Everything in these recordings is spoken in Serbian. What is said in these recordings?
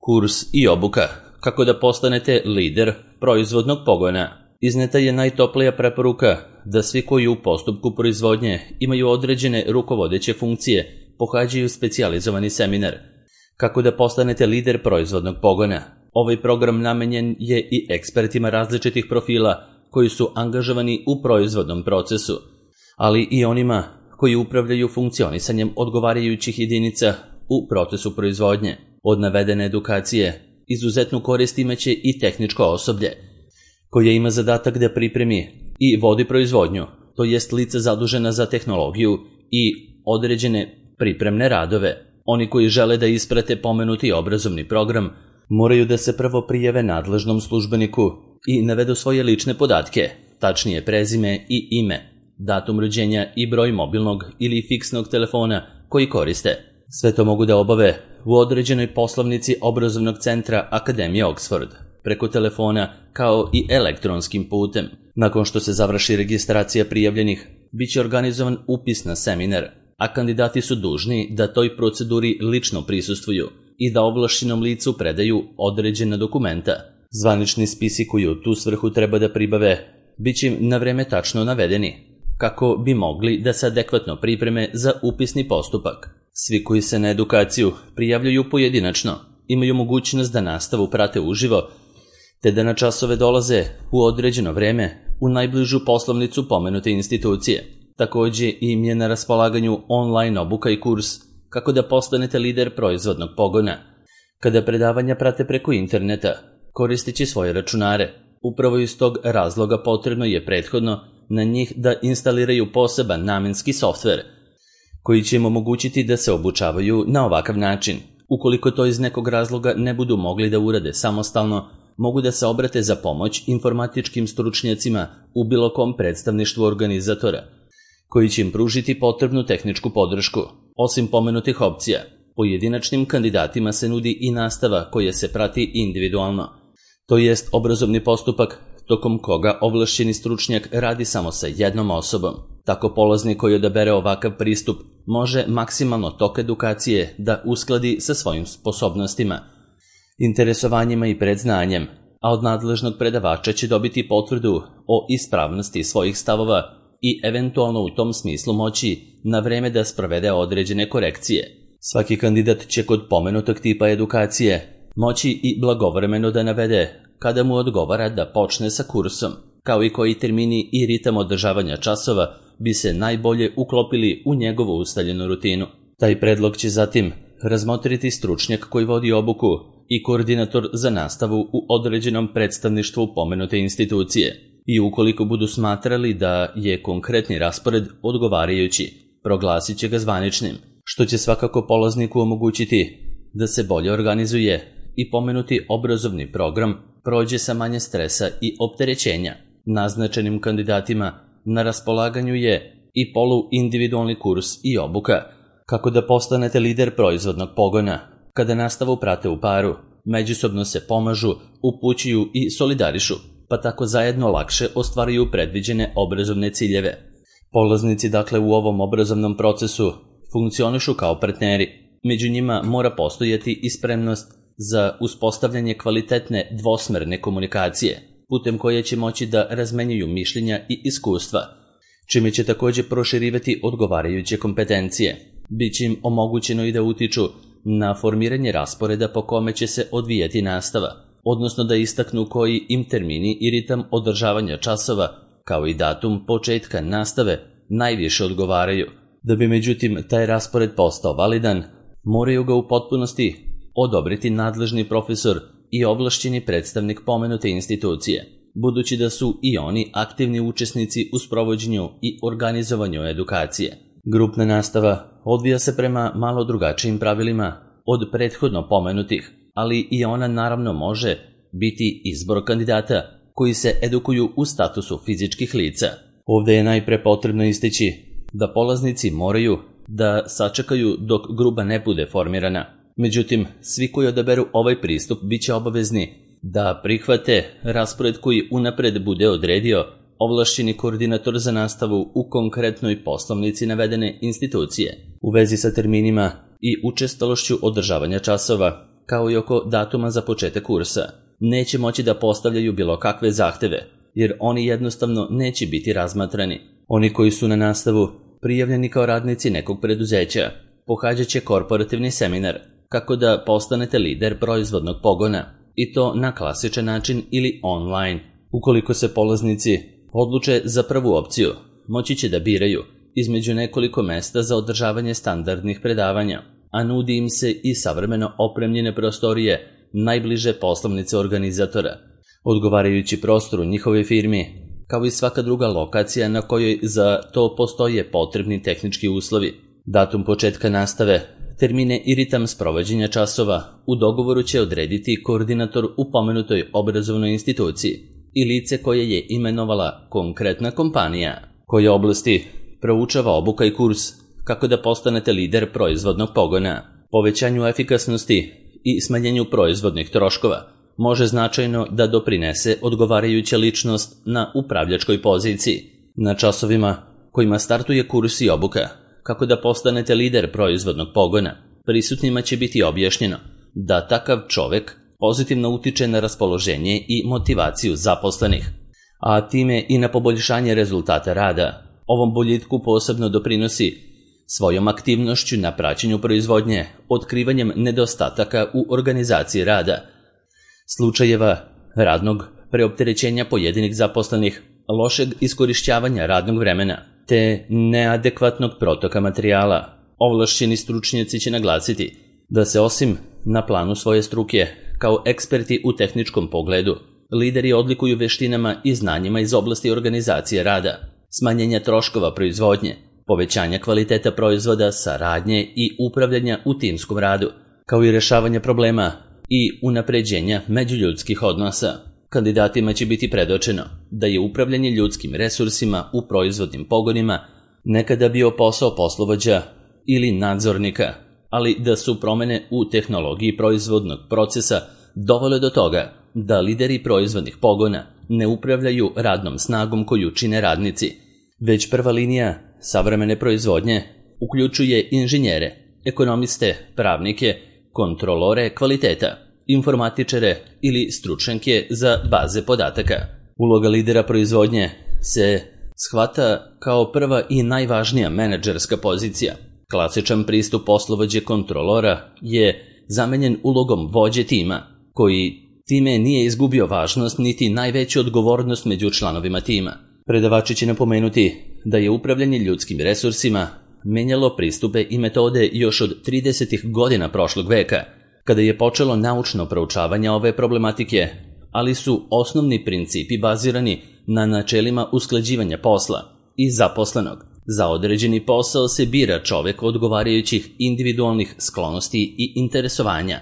Kurs i obuka. Kako da postanete lider proizvodnog pogona. Izneta je najtoplija preporuka da svi koji u postupku proizvodnje imaju određene rukovodeće funkcije pohađaju specijalizovani seminar. Kako da postanete lider proizvodnog pogona. Ovaj program namenjen je i ekspertima različitih profila koji su angažovani u proizvodnom procesu, ali i onima koji upravljaju funkcionisanjem odgovarajućih jedinica u procesu proizvodnje. Od navedene edukacije izuzetnu korist imaće i tehničko osoblje, koje ima zadatak da pripremi i vodi proizvodnju, to jest lica zadužena za tehnologiju i određene pripremne radove. Oni koji žele da isprate pomenuti obrazovni program moraju da se prvo prijave nadležnom službeniku i navedu svoje lične podatke, tačnije prezime i ime, datum rođenja i broj mobilnog ili fiksnog telefona koji koriste. Sve to mogu da obave u određenoj poslovnici obrazovnog centra Akademije Oxford, preko telefona kao i elektronskim putem. Nakon što se završi registracija prijavljenih, bit će organizovan upis na seminar, a kandidati su dužni da toj proceduri lično prisustvuju i da ovlašćenom licu predaju određena dokumenta. Zvanični spisi koji u tu svrhu treba da pribave bit će im na vreme tačno navedeni, kako bi mogli da se adekvatno pripreme za upisni postupak. Svi koji se na edukaciju prijavljaju pojedinačno imaju mogućnost da nastavu prate uživo, te da na časove dolaze u određeno vreme u najbližu poslovnicu pomenute institucije. Takođe im je na raspolaganju online obuka i kurs kako da postanete lider proizvodnog pogona. Kada predavanja prate preko interneta, koristeći svoje računare, upravo iz tog razloga potrebno je prethodno na njih da instaliraju poseban namenski softver, koji će im omogućiti da se obučavaju na ovakav način. Ukoliko to iz nekog razloga ne budu mogli da urade samostalno, mogu da se obrate za pomoć informatičkim stručnjacima u bilo kom predstavništvu organizatora, koji će im pružiti potrebnu tehničku podršku. Osim pomenutih opcija, pojedinačnim kandidatima se nudi i nastava koja se prati individualno, to jest obrazovni postupak tokom koga ovlašćeni stručnjak radi samo sa jednom osobom. Tako polaznik koji odabere ovakav pristup može maksimalno tok edukacije da uskladi sa svojim sposobnostima, interesovanjima i predznanjem, a od nadležnog predavača će dobiti potvrdu o ispravnosti svojih stavova i eventualno u tom smislu moći na vreme da sprovede određene korekcije. Svaki kandidat će kod pomenutog tipa edukacije moći i blagovremeno da navede kada mu odgovara da počne sa kursom, kao i koji termini i ritam održavanja časova bi se najbolje uklopili u njegovu ustaljenu rutinu. Taj predlog će zatim razmotriti stručnjak koji vodi obuku i koordinator za nastavu u određenom predstavništvu pomenute institucije. I ukoliko budu smatrali da je konkretni raspored odgovarajući, proglasit će ga zvaničnim, što će svakako polazniku omogućiti da se bolje organizuje i pomenuti obrazovni program prođe sa manje stresa i opterećenja. Naznačenim kandidatima na raspolaganju je i poluindividualni kurs i obuka, kako da postanete lider proizvodnog pogona, kada nastavu prate u paru, međusobno se pomažu, upućuju i solidarišu, pa tako zajedno lakše ostvaruju predviđene obrazovne ciljeve. Polaznici dakle u ovom obrazovnom procesu funkcionišu kao partneri. Među njima mora postojati i spremnost za uspostavljanje kvalitetne dvosmerne komunikacije, putem koje će moći da razmenjuju mišljenja i iskustva, čime će takođe proširivati odgovarajuće kompetencije. Biće im omogućeno i da utiču na formiranje rasporeda po kome će se odvijati nastava, odnosno da istaknu koji im termini i ritam održavanja časova, kao i datum početka nastave, najviše odgovaraju. Da bi međutim taj raspored postao validan, moraju ga u potpunosti odobriti nadležni profesor i ovlašćeni predstavnik pomenute institucije, budući da su i oni aktivni učesnici u sprovođenju i organizovanju edukacije. Grupna nastava odvija se prema malo drugačijim pravilima od prethodno pomenutih, ali i ona naravno može biti izbor kandidata koji se edukuju u statusu fizičkih lica. Ovde je najpre potrebno istaći da polaznici moraju da sačekaju dok grupa ne bude formirana. Međutim, svi koji odaberu ovaj pristup bit će obavezni da prihvate raspored koji unapred bude odredio ovlašćeni koordinator za nastavu u konkretnoj poslovnici navedene institucije. U vezi sa terminima i učestalošću održavanja časova, kao i oko datuma za početak kursa. Neće moći da postavljaju bilo kakve zahteve, jer oni jednostavno neće biti razmatrani. Oni koji su na nastavu prijavljeni kao radnici nekog preduzeća pohađat će korporativni seminar kako da postanete lider proizvodnog pogona, i to na klasičan način ili online. Ukoliko se polaznici odluče za prvu opciju, moći će da biraju između nekoliko mesta za održavanje standardnih predavanja, a nudi im se i savremeno opremljene prostorije najbliže poslovnice organizatora. Odgovarajući prostor u njihovoj firmi, kao i svaka druga lokacija na kojoj za to postoje potrebni tehnički uslovi. Datum početka nastave, termine i ritam sprovođenja časova u dogovoru će odrediti koordinator u pomenutoj obrazovnoj instituciji i lice koje je imenovala konkretna kompanija. Koje oblasti proučava obuka i kurs kako da postanete lider proizvodnog pogona. Povećanju efikasnosti i smanjenju proizvodnih troškova može značajno da doprinese odgovarajuća ličnost na upravljačkoj poziciji. Na časovima kojima startuje kurs i obuka kako da postanete lider proizvodnog pogona, prisutnima će biti objašnjeno da takav čovek pozitivno utiče na raspoloženje i motivaciju zaposlenih, a time i na poboljšanje rezultata rada. Ovom boljitku posebno doprinosi svojom aktivnošću na praćenju proizvodnje, otkrivanjem nedostataka u organizaciji rada, slučajeva radnog preopterećenja pojedinih zaposlenih, lošeg iskorišćavanja radnog vremena, te neadekvatnog protoka materijala. Ovlašćeni stručnjaci će naglasiti da se osim na planu svoje struke, kao eksperti u tehničkom pogledu, lideri odlikuju veštinama i znanjima iz oblasti organizacije rada, smanjenja troškova proizvodnje, povećanja kvaliteta proizvoda, saradnje i upravljanja u timskom radu, kao i rešavanja problema i unapređenja međuljudskih odnosa. Kandidatima će biti predočeno da je upravljanje ljudskim resursima u proizvodnim pogonima nekada bio posao poslovođa ili nadzornika, ali da su promene u tehnologiji proizvodnog procesa dovele do toga da lideri proizvodnih pogona ne upravljaju radnom snagom koju čine radnici, već prva linija savremene proizvodnje uključuje inženjere, ekonomiste, pravnike, kontrolore kvaliteta, informatičare ili stručnjake za baze podataka. Uloga lidera proizvodnje se shvata kao prva i najvažnija menadžerska pozicija. Klasičan pristup poslovođe kontrolora je zamenjen ulogom vođe tima, koji time nije izgubio važnost niti najveću odgovornost među članovima tima. Predavači će napomenuti da je upravljanje ljudskim resursima menjalo pristupe i metode još od 30. godina prošlog veka, kada je počelo naučno proučavanje ove problematike, ali su osnovni principi bazirani na načelima usklađivanja posla i zaposlenog. Za određeni posao se bira čovek odgovarajućih individualnih sklonosti i interesovanja,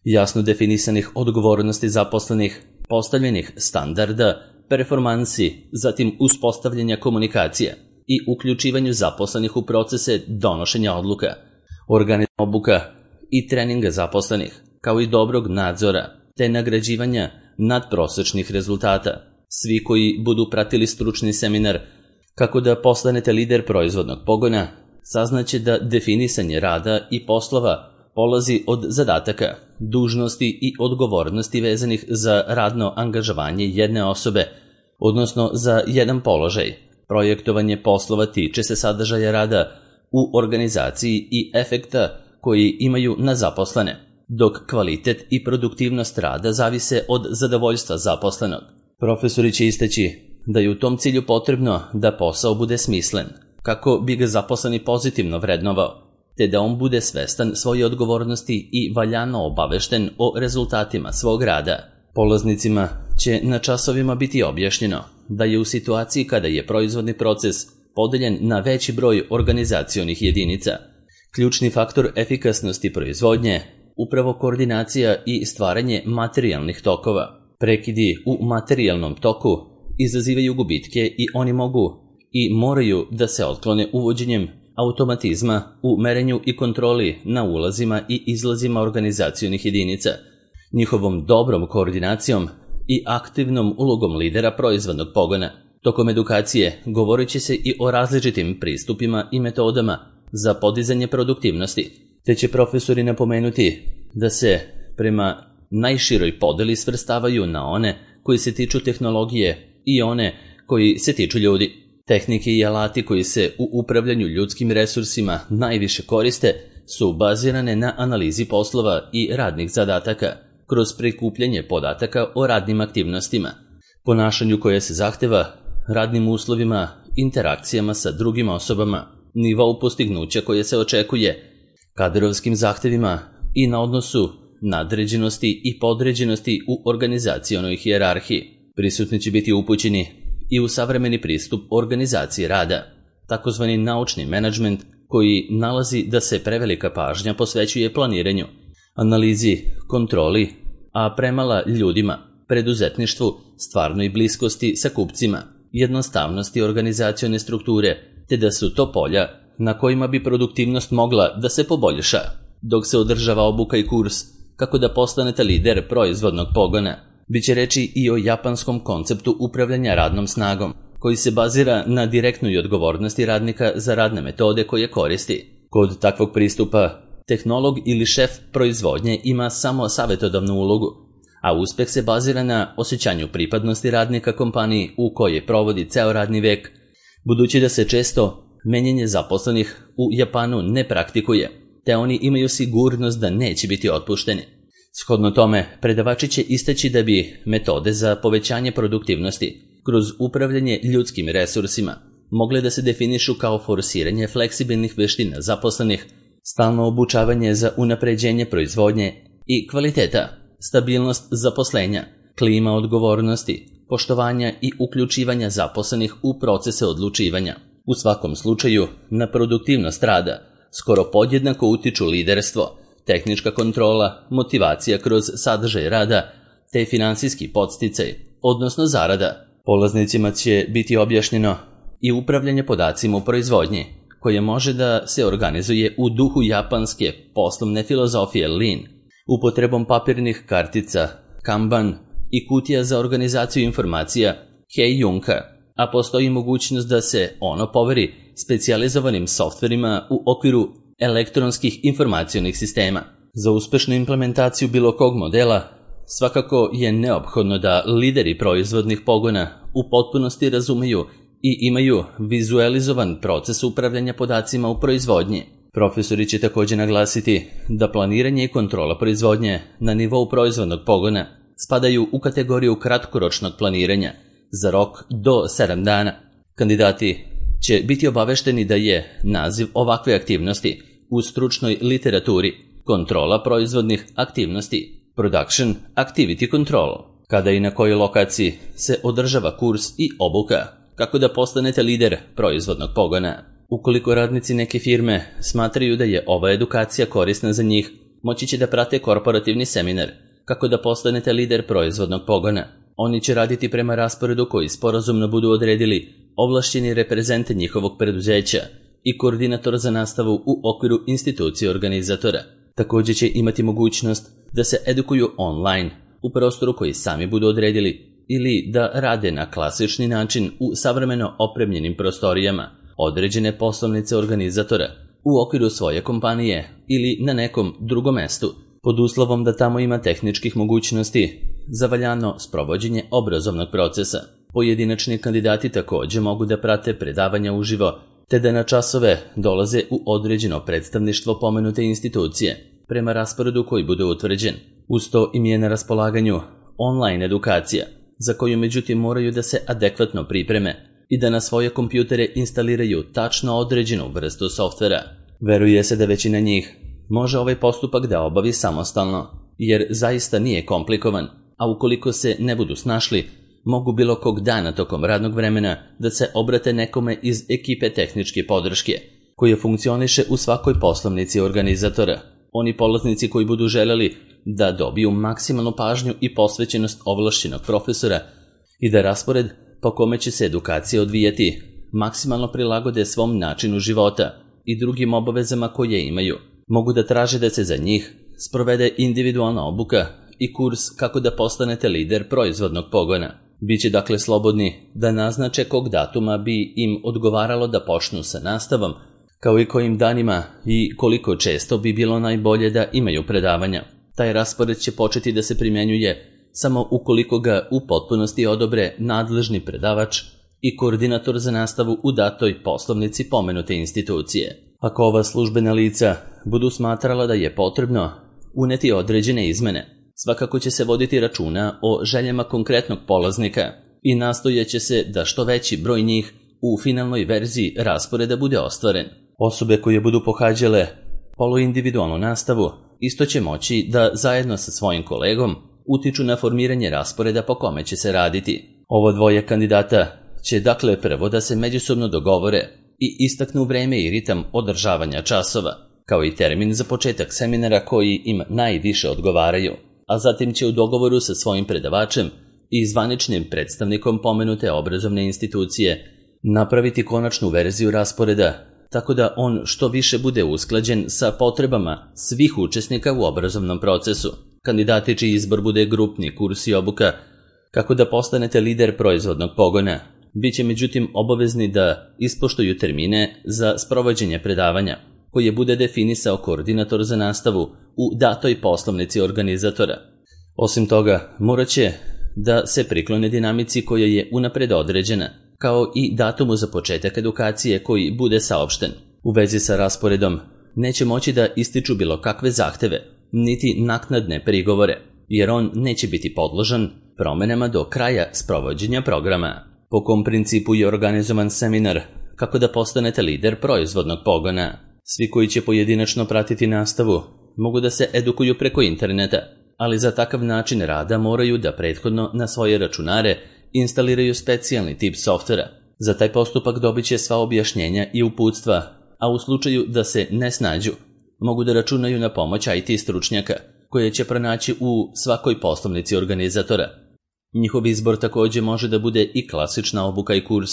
jasno definisanih odgovornosti zaposlenih, postavljenih standarda, performansi, zatim uspostavljanja komunikacija i uključivanju zaposlenih u procese donošenja odluka, organizovanja obuka i treninga zaposlenih, kao i dobrog nadzora, te nagrađivanja nadprosečnih rezultata. Svi koji budu pratili stručni seminar kako da postanete lider proizvodnog pogona, saznaće da definisanje rada i poslova polazi od zadataka, dužnosti i odgovornosti vezanih za radno angažovanje jedne osobe, odnosno za jedan položaj. Projektovanje poslova tiče se sadržaja rada u organizaciji i efekta koji imaju na zaposlene, dok kvalitet i produktivnost rada zavise od zadovoljstva zaposlenog. Profesori će istaći da je u tom cilju potrebno da posao bude smislen, kako bi ga zaposleni pozitivno vrednovao, te da on bude svestan svoje odgovornosti i valjano obavešten o rezultatima svog rada. Polaznicima će na časovima biti objašnjeno da je u situaciji kada je proizvodni proces podeljen na veći broj organizacionih jedinica, ključni faktor efikasnosti proizvodnje upravo koordinacija i stvaranje materijalnih tokova. Prekidi u materijalnom toku izazivaju gubitke i oni mogu i moraju da se otklone uvođenjem automatizma u merenju i kontroli na ulazima i izlazima organizacionih jedinica, njihovom dobrom koordinacijom i aktivnom ulogom lidera proizvodnog pogona. Tokom edukacije govorit će se i o različitim pristupima i metodama za podizanje produktivnosti, te će profesori napomenuti da se prema najširoj podeli svrstavaju na one koji se tiču tehnologije i one koji se tiču ljudi. Tehnike i alati koji se u upravljanju ljudskim resursima najviše koriste su bazirane na analizi poslova i radnih zadataka kroz prikupljanje podataka o radnim aktivnostima, ponašanju koje se zahteva, radnim uslovima, interakcijama sa drugim osobama, nivou postignuća koje se očekuje, kadrovskim zahtevima i na odnosu nadređenosti i podređenosti u organizacionoj hijerarhiji. Prisutni će biti upućeni i u savremeni pristup organizaciji rada, takozvani naučni menadžment koji nalazi da se prevelika pažnja posvećuje planiranju, analizi, kontroli, a premala ljudima, preduzetništvu, stvarnoj bliskosti sa kupcima, jednostavnosti organizacione strukture, te da su to polja na kojima bi produktivnost mogla da se poboljša, dok se održava obuka i kurs kako da postanete lider proizvodnog pogona. Biće reči i o japanskom konceptu upravljanja radnom snagom, koji se bazira na direktnoj odgovornosti radnika za radne metode koje koristi. Kod takvog pristupa, tehnolog ili šef proizvodnje ima samo savjetodavnu ulogu, a uspeh se bazira na osjećanju pripadnosti radnika kompaniji u kojoj provodi ceo radni vek, budući da se često menjanje zaposlenih u Japanu ne praktikuje, te oni imaju sigurnost da neće biti otpušteni. Shodno tome, predavači će istaći da bi metode za povećanje produktivnosti kroz upravljanje ljudskim resursima mogle da se definišu kao forsiranje fleksibilnih veština zaposlenih, stalno obučavanje za unapređenje proizvodnje i kvaliteta, stabilnost zaposlenja, klima odgovornosti, poštovanja i uključivanja zaposlenih u procese odlučivanja. U svakom slučaju, na produktivnost rada skoro podjednako utiču liderstvo, tehnička kontrola, motivacija kroz sadržaj rada, te finansijski podsticaj, odnosno zarada. Polaznicima će biti objašnjeno i upravljanje podacima u proizvodnji, koje može da se organizuje u duhu japanske poslovne filozofije Lean, upotrebom papirnih kartica, Kanban i kutija za organizaciju informacija Heijunka, a postoji mogućnost da se ono poveri specijalizovanim softverima u okviru elektronskih informacionih sistema. Za uspešnu implementaciju bilo kog modela svakako je neophodno da lideri proizvodnih pogona u potpunosti razumeju i imaju vizualizovan proces upravljanja podacima u proizvodnji. Profesori će također naglasiti da planiranje i kontrola proizvodnje na nivou proizvodnog pogona spadaju u kategoriju kratkoročnog planiranja za rok do 7 dana. Kandidati će biti obavešteni da je naziv ovakve aktivnosti u stručnoj literaturi kontrola proizvodnih aktivnosti, Production Activity Control, kada i na kojoj lokaciji se održava kurs i obuka, kako da postanete lider proizvodnog pogona. Ukoliko radnici neke firme smatraju da je ova edukacija korisna za njih, moći će da prate korporativni seminar, kako da postanete lider proizvodnog pogona. Oni će raditi prema rasporedu koji sporazumno budu odredili ovlašćeni reprezent njihovog preduzeća i koordinator za nastavu u okviru institucije organizatora. Također će imati mogućnost da se edukuju online u prostoru koji sami budu odredili ili da rade na klasični način u savremeno opremljenim prostorijama određene poslovnice organizatora u okviru svoje kompanije ili na nekom drugom mestu, pod uslovom da tamo ima tehničkih mogućnosti za valjano sprovođenje obrazovnog procesa. Pojedinačni kandidati također mogu da prate predavanja uživo, te da na časove dolaze u određeno predstavništvo pomenute institucije, prema rasporedu koji bude utvrđen. Uz to im je na raspolaganju online edukacija, za koju međutim moraju da se adekvatno pripreme i da na svoje kompjutere instaliraju tačno određenu vrstu softvera. Veruje se da većina njih može ovaj postupak da obavi samostalno, jer zaista nije komplikovan, a ukoliko se ne budu snašli, mogu bilo kog dana tokom radnog vremena da se obrate nekome iz ekipe tehničke podrške, koja funkcioniše u svakoj poslovnici organizatora. Oni polaznici koji budu želeli da dobiju maksimalnu pažnju i posvećenost ovlašćenog profesora i da raspored po kome će se edukacija odvijati maksimalno prilagode svom načinu života i drugim obavezama koje imaju, mogu da traže da se za njih sprovede individualna obuka i kurs kako da postanete lider proizvodnog pogona. Biće dakle slobodni da naznače kog datuma bi im odgovaralo da počnu sa nastavom, kao i kojim danima i koliko često bi bilo najbolje da imaju predavanja. Taj raspored će početi da se primjenjuje samo ukoliko ga u potpunosti odobre nadležni predavač i koordinator za nastavu u datoj poslovnici pomenute institucije. Ako ova službena lica budu smatrala da je potrebno uneti određene izmene, svakako će se voditi računa o željama konkretnog polaznika i nastojaće se da što veći broj njih u finalnoj verziji rasporeda bude ostvaren. Osobe koje budu pohađale poluindividualnu nastavu isto će moći da zajedno sa svojim kolegom utiču na formiranje rasporeda po kome će se raditi. Ovo dvoje kandidata će dakle prvo da se međusobno dogovore i istaknu vreme i ritam održavanja časova, kao i termin za početak seminara koji im najviše odgovaraju, a zatim će u dogovoru sa svojim predavačem i zvaničnim predstavnikom pomenute obrazovne institucije napraviti konačnu verziju rasporeda, tako da on što više bude usklađen sa potrebama svih učesnika u obrazovnom procesu. Kandidati čiji izbor bude grupni kurs i obuka, kako da postanete lider proizvodnog pogona, bit će međutim obavezni da ispoštuju termine za sprovođenje predavanja, koje bude definisao koordinator za nastavu u datoj poslovnici organizatora. Osim toga, morat će da se priklone dinamici koja je unapred određena, kao i datumu za početak edukacije koji bude saopšten. U vezi sa rasporedom neće moći da ističu bilo kakve zahteve, niti naknadne prigovore, jer on neće biti podložan promenama do kraja sprovođenja programa. Po kom principu je organizovan seminar kako da postanete lider proizvodnog pogona? Svi koji će pojedinačno pratiti nastavu mogu da se edukuju preko interneta, ali za takav način rada moraju da prethodno na svoje računare instaliraju specijalni tip softvera. Za taj postupak dobit će sva objašnjenja i uputstva, a u slučaju da se ne snađu, mogu da računaju na pomoć IT stručnjaka, koje će pronaći u svakoj poslovnici organizatora. Njihov izbor također može da bude i klasična obuka i kurs,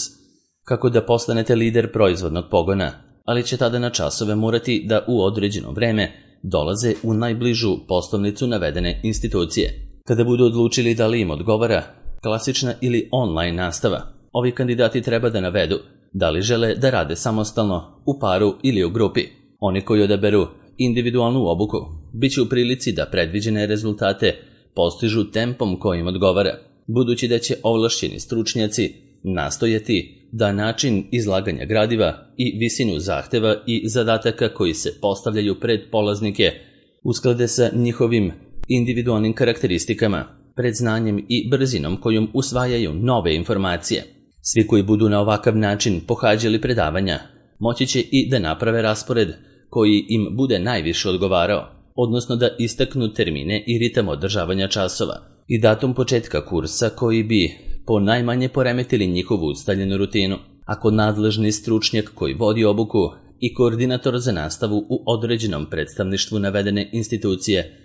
kako da postanete lider proizvodnog pogona, ali će tada na časove morati da u određeno vreme dolaze u najbližu poslovnicu navedene institucije. Kada budu odlučili da li im odgovara klasična ili online nastava, ovi kandidati treba da navedu da li žele da rade samostalno, u paru ili u grupi. Oni koji odaberu individualnu obuku bit će u prilici da predviđene rezultate postižu tempom kojim odgovara, budući da će ovlašćeni stručnjaci nastojati da način izlaganja gradiva i visinu zahteva i zadataka koji se postavljaju pred polaznike usklade sa njihovim individualnim karakteristikama, predznanjem i brzinom kojom usvajaju nove informacije. Svi koji budu na ovakav način pohađali predavanja moći će i da naprave raspored koji im bude najviše odgovarao, odnosno da istaknu termine i ritam održavanja časova i datum početka kursa koji bi po najmanje poremetili njihovu ustaljenu rutinu. Ako nadležni stručnjak koji vodi obuku i koordinator za nastavu u određenom predstavništvu navedene institucije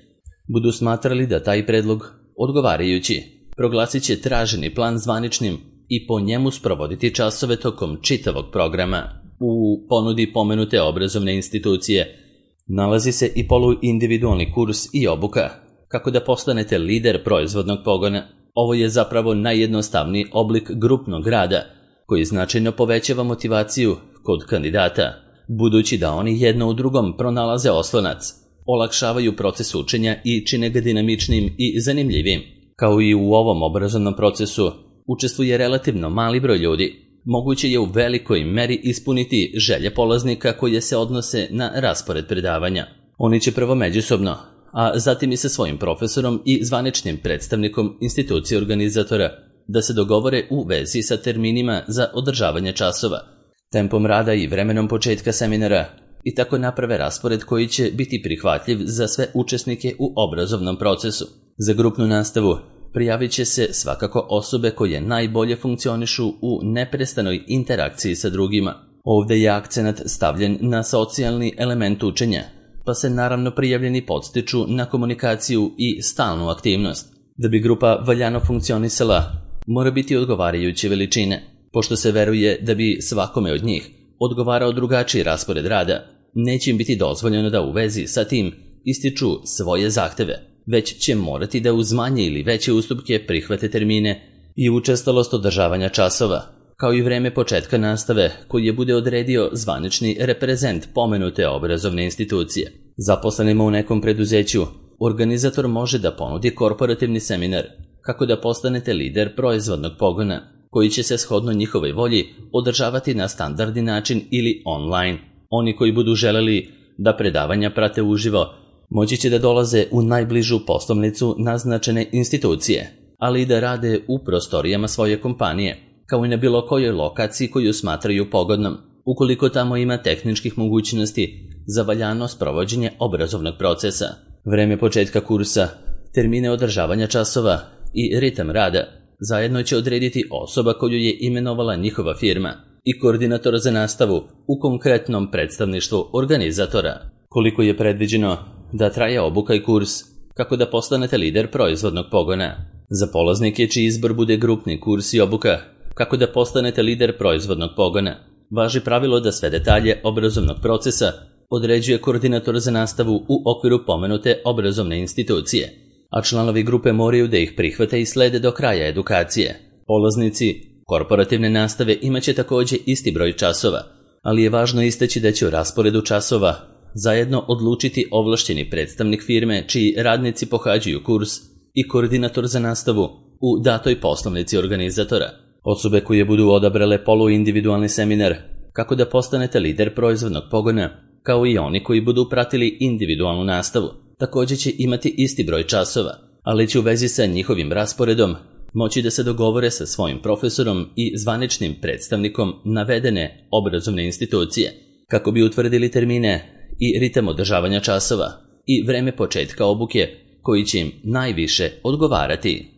budu smatrali da taj predlog odgovarajući, proglasit će traženi plan zvaničnim i po njemu sprovoditi časove tokom čitavog programa. U ponudi pomenute obrazovne institucije nalazi se i poluindividualni kurs i obuka, kako da postanete lider proizvodnog pogona. Ovo je zapravo najjednostavniji oblik grupnog rada, koji značajno povećava motivaciju kod kandidata, budući da oni jedno u drugom pronalaze oslonac, olakšavaju proces učenja i čine ga dinamičnim i zanimljivim. Kao i u ovom obrazovnom procesu učestvuje relativno mali broj ljudi. Moguće je u velikoj meri ispuniti želje polaznika koje se odnose na raspored predavanja. Oni će prvo međusobno, a zatim i sa svojim profesorom i zvaničnim predstavnikom institucije organizatora da se dogovore u vezi sa terminima za održavanje časova, tempom rada i vremenom početka seminara i tako naprave raspored koji će biti prihvatljiv za sve učesnike u obrazovnom procesu. Za grupnu nastavu prijavit će se svakako osobe koje najbolje funkcionišu u neprestanoj interakciji sa drugima. Ovdje je akcenat stavljen na socijalni element učenja, pa se naravno prijavljeni podstiču na komunikaciju i stalnu aktivnost. Da bi grupa valjano funkcionisala, mora biti odgovarajuće veličine, pošto se veruje da bi svakome od njih odgovarao drugačiji raspored rada. Neće im biti dozvoljeno da u vezi sa tim ističu svoje zahteve, već će morati da uz manje ili veće ustupke prihvate termine i učestalost održavanja časova, kao i vreme početka nastave koji je bude odredio zvanični reprezent pomenute obrazovne institucije. Zaposlenima u nekom preduzeću organizator može da ponudi korporativni seminar kako da postanete lider proizvodnog pogona, koji će se shodno njihovoj volji održavati na standardni način ili online. Oni koji budu želeli da predavanja prate uživo, moći će da dolaze u najbližu poslovnicu naznačene institucije, ali i da rade u prostorijama svoje kompanije, kao i na bilo kojoj lokaciji koju smatraju pogodnom, ukoliko tamo ima tehničkih mogućnosti za valjano sprovođenje obrazovnog procesa. Vreme početka kursa, termine održavanja časova i ritam rada zajedno će odrediti osoba koju je imenovala njihova firma i koordinator za nastavu u konkretnom predstavništvu organizatora. Koliko je predviđeno da traje obuka i kurs kako da postanete lider proizvodnog pogona? Za polaznike čiji izbor bude grupni kurs i obuka kako da postanete lider proizvodnog pogona, važi pravilo da sve detalje obrazovnog procesa određuje koordinator za nastavu u okviru pomenute obrazovne institucije, a članovi grupe moraju da ih prihvate i slede do kraja edukacije. Polaznici korporativne nastave imaće takođe isti broj časova, ali je važno istaći da će u rasporedu časova zajedno odlučiti ovlašćeni predstavnik firme čiji radnici pohađaju kurs i koordinator za nastavu u datoj poslovnici organizatora. Osobe koje budu odabrale poluindividualni seminar kako da postanete lider proizvodnog pogona, kao i oni koji budu pratili individualnu nastavu, također će imati isti broj časova, ali će u vezi sa njihovim rasporedom moći da se dogovore sa svojim profesorom i zvaničnim predstavnikom navedene obrazovne institucije, kako bi utvrdili termine i ritam održavanja časova i vreme početka obuke koji će im najviše odgovarati.